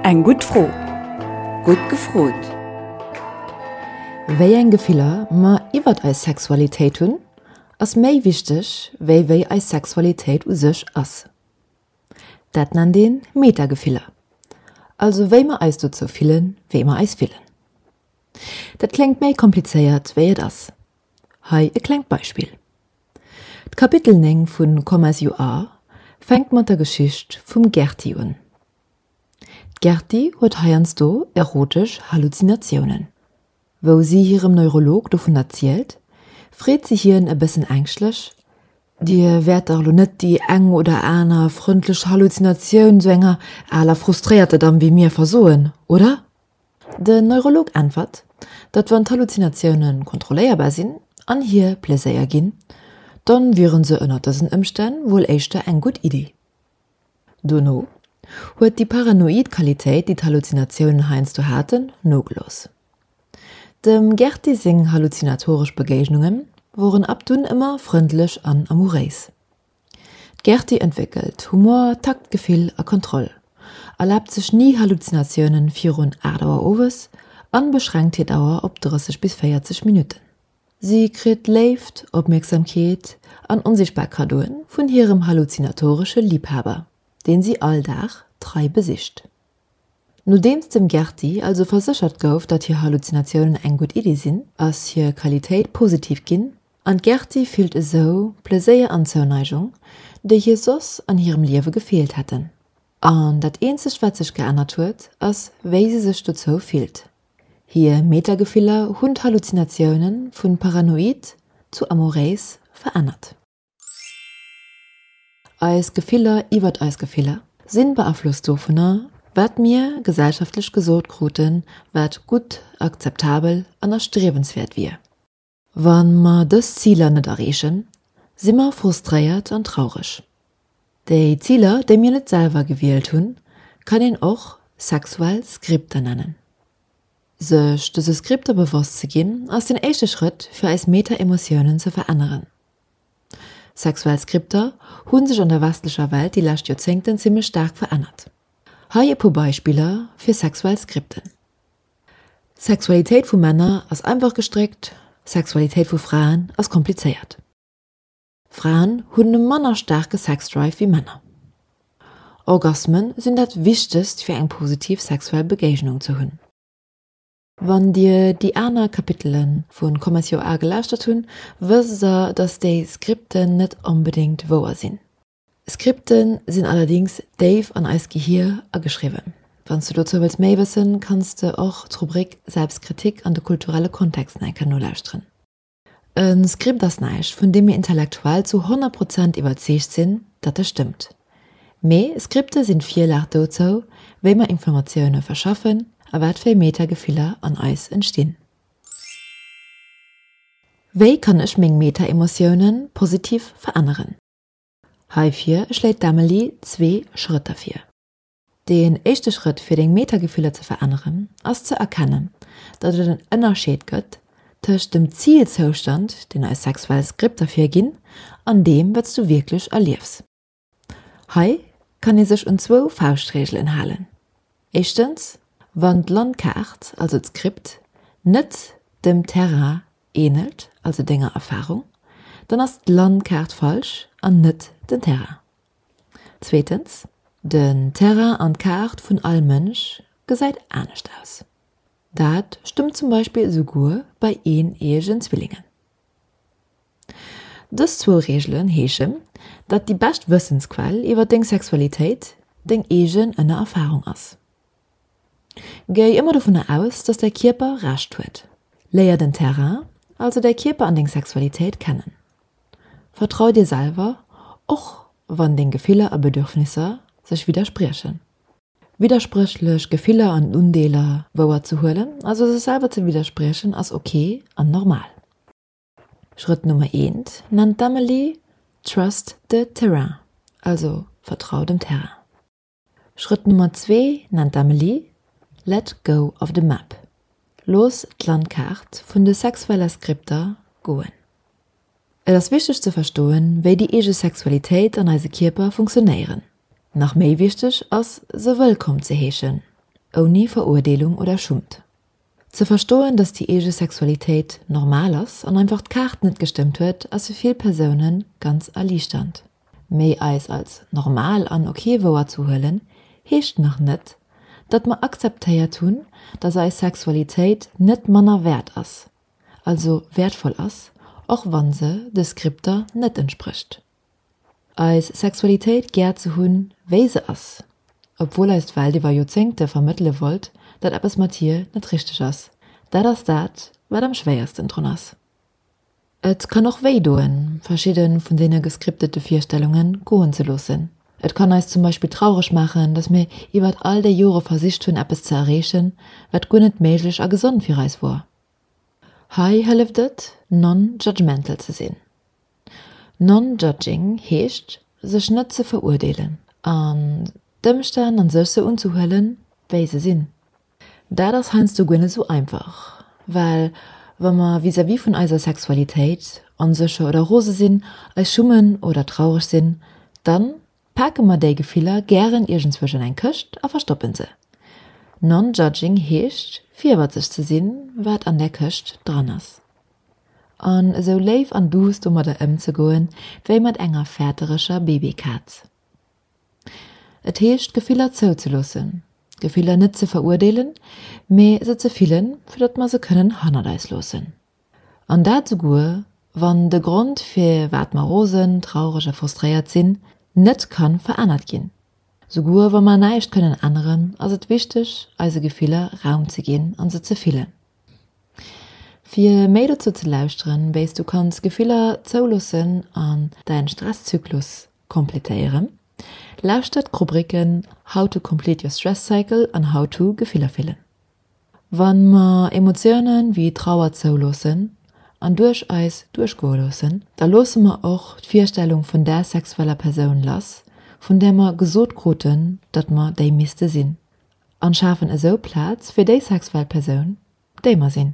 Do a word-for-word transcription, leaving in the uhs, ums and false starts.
Eng gutt Fro. Gutt gefrot! Wéi eng Gefiller mer iwwert eis Sexualitéit hunn, ass méi wichteg wéi wéi eis Sexualitéit u sech ass. Dat nennt een Metagefiller, also wéi mer eis dozou fillen, wéi mer eis fillen. Dat kléngt méi komplizéiert wéi et ass. Hei e klengt Beispill. D'Kapitel néng vun Come As You Are fänkt mat der Geschicht vum Gerti un. D'Gerti huet heiansdo erotesch Halluzinatiounen. Wou si hirem Neurolog dovun erzielt, freet si hien e bëssen ängschtlech, Dir wäert dach elo net déi eng oder aner frëndlech Halluzinatioun sou enger aler frustréierter Damm wéi mir versoen, oder? Den Neurolog äntwert, datt wann d'Halluzinatioune kontrolléierbar sinn an hir Pleséier ginn, dann wieren se ënner dësen Ëmstänn wuel éischter eng gutt Iddi. Dono huet déi paranoid Qualitéit, déi d'Halluzinatiounen heiansdo haten, nogelooss. Dem Gerti seng halluzinatoresch Begéignunge woren ab dunn ëmmer frëndlech an amouréis. D'Gerti entwéckelt Humor, Taktgefill a Kontroll, erlaabt sech ni Halluzinatiounen virun aacht Auer owes an beschränkt hir Dauer op drësseg bis véierzeg Minutten. Si kritt Léift, Opmierksamkeet an onsichtbar Kaddoen vun hirem halluzinatoresche Liibhaber, deen si all Dag trei besicht. Nodeems dem Gerti also verséchert gouf, datt hir Halluzinatiounen eng gutt Iddi sinn, ass hir Qualitéit positiv ginn an d'Gerti fillt esou Pleséier an Zouneigung, déi hir soss an hirem Liewe gefeelt hätten. An dat eenzegt wat sech geännert huet, ass wéi si sech dozou fillt. Hir Metagefiller hunn d'Halluzinatioune vu paranoid zu amouréis verännert. Eis Gefiller iwwert eis Gefiller sinn beaflosst dovunner, wat mir gesellschaftlech gesot kruten, wat gutt, akzeptabel an erstriewenswäert wier. Wa mer dës Ziler net erreechen, si mer frustréiert an traureg. Déi Ziler, déi mir net selwer gewielt hunn, kann een och sexuell Skripter nennen. Sech dëse Skripter bewosst ze ginn, ass den éischte Schrëtt, fir eis Meta-Emotiounen ze veränneren. Sexuell Skripter hu sech an der westlecher Welt déi lescht Joerzéngten zimmlech staark verännert. Hei e puer Beispiller fir sexuell Skripten. Sexualitéit vu Männer ass einfach gestréckt, Sexualitéit vu Fraen ass komplizéiert. Fraen hunn e manner staarke Sexdrive wéi Männer. Orgasmen sinn dat Wichtegst fir eng positiv sexuell Begéignung ze hunn. Wann dir déi aner Kapitele vu Come As You Are gelauschtert hunn, wësst der, dass déi Skripten net onbedéngt wouer sinn. Skripte sinn allerdéngs déif an eist Gehier ageschriwwen. Wann s du dozou wëlls méi wëssen, kanns de och d'Rubrik Selbstkritik an de kulturelle Kontext nach eng Kéier nolauschteren. E Skript ass näischt, vun deem mir intellektuell zu honnert Prozent iwwerzeegt sinn, datt e stëmmt. Mee Skripte sinn d'Virlag dozou, wéi mer Informatioune verschaffen a wat fir Metagefiller an eis entstinn. Wéi kann ech meng Metaemotioune positiv veränneren? Heifir schléit d'Emily zwee Schrëtter vir. Deen éischte Schrëtt fir deng Metagefiller ze veränneren, ass ze erkennen, datt et en Ënnerscheed gëtt tëscht dem Zilzoustand, deen eis sexuell Skripter virginn, an deem, wat s du wierklech erliefs. Hei kann ee sech un zwou Fauschtreegelen halen. Éischtens, wann d'Landkaart, also d'Skript, net dem Terrain änelt, also denger Erfarung, dann ass d'Landkaart falsch an net den Terrain. Zweetens, den Terrain an d'Kaart vun all Mënsch gesäit anescht aus. Dat stëmmt zum Beispill esouguer bei eeneeëgen Zwillingen. Dës zwou Reegelen heeschen, datt déi bescht Wëssensquell iwwer deng Sexualitéit deng eegen Ënnererfarung ass. Géi ëmmer dovunner aus, datt däi Kierper Recht huet. Léier den Terrain, also däi Kierper an deng Sexualitéit kennen. Vertrau dir selwer, och wann deng Gefiller a Bedürfnisser sech widderspriechen. Widderspréchlech Gefiller an Undeeler wouer ze huelen, also sech selwer ze widderspriechen, ass ok an normal. Schrëtt Nummer eent nennt d'Emily Trust the terrain, also vertrau dem Terrain. Schrëtt Nummer zwee nennt d'Emily Let go of the map, looss d'Landkaart vun de sexueller Skripter goen. Et ass wichteg ze verstoen, wéi déi eege Sexualitéit an eise Kierper funktionéieren. Nach méi wichteg ass, se wëllkomm ze heeschen, ouni Verurdeelung oder Schummt. Ze verstoen, datt déi eege Sexualitéit normal ass an einfach d'Kaart net gestëmmt huet, ass fir vill Persoune ganz erliichternd. Mee eis als normal an ok wouerzehuelen, heescht nach net, datt mer akzeptéiert hunn, datt eis Sexualitéit net manner wäert ass, also wäertvoll ass, och wann se de Skripter net entsprécht. Eis Sexualitéit gär ze hunn, wéi se ass, obwuel eis d'Welt iwwer Joerzéngte vermëttele wollt, datt eppes mat hir net richteg ass, dat ass dat, wat am schwéiersten drun ass. Et kann och wéi doen, verschidde vun deene geskriptete Virstellunge goen ze loossen. Et kann eis zum Beispill traureg maachen, datt mir iwwert all déi Jore versicht hunn, eppes ze erreechen, wat guer net méiglech a gesond fir eis wor. Hei hëlleft et, non-judgmental ze sinn. Non-judging heescht, sech net ze verurdeelen an d'Ëmstänn an sech sou unzehuelen, wéi se sinn. Dat ass heiansdo guer net sou einfach, well wa mer vis-à-vis vun eiser Sexualitéit onsécher oder rose sinn, eis schummen oder traureg sinn, dann pake mer déi Gefiller gären iergendzwousch an eng Këscht a verstoppen se. Non-judging heescht, virwëtzeg ze sinn, wat an där Këscht dran ass. An esou léif an duuss domadder ëmzegoen, wéi mat enger fäertereger Babykaz. Et heescht, Gefiller zouzeloossen, Gefiller net ze verurdeelen, mee se ze fillen, fir datt mer se kënnen hannert eis loossen. An dat souguer, wann de Grond, firwat mer rosen, traureg a frustréiert sinn, net kann verännert ginn. Souguer wa mer näischt kënnen änneren, ass et wichteg, eise Gefiller Raum ze ginn an se ze fillen. Fir méi dozou ze lauschteren, wéi s du kanns Gefiller zouloossen an däin Stresszyklus kompletéieren, lauschter d'Rubriken How to complete your stress cycle an How to Gefiller fillen. Wann mer Emotiounen wéi Trauer zouloossen an duerch eis duerchgoe loossen, da loosse mer och d'Virstellung vun där sexueller Persoun lass, vun där mer gesot kruten, datt mer déi misste sinn, an schafen esou Plaz fir déi sexuell Persoun, déi mer sinn.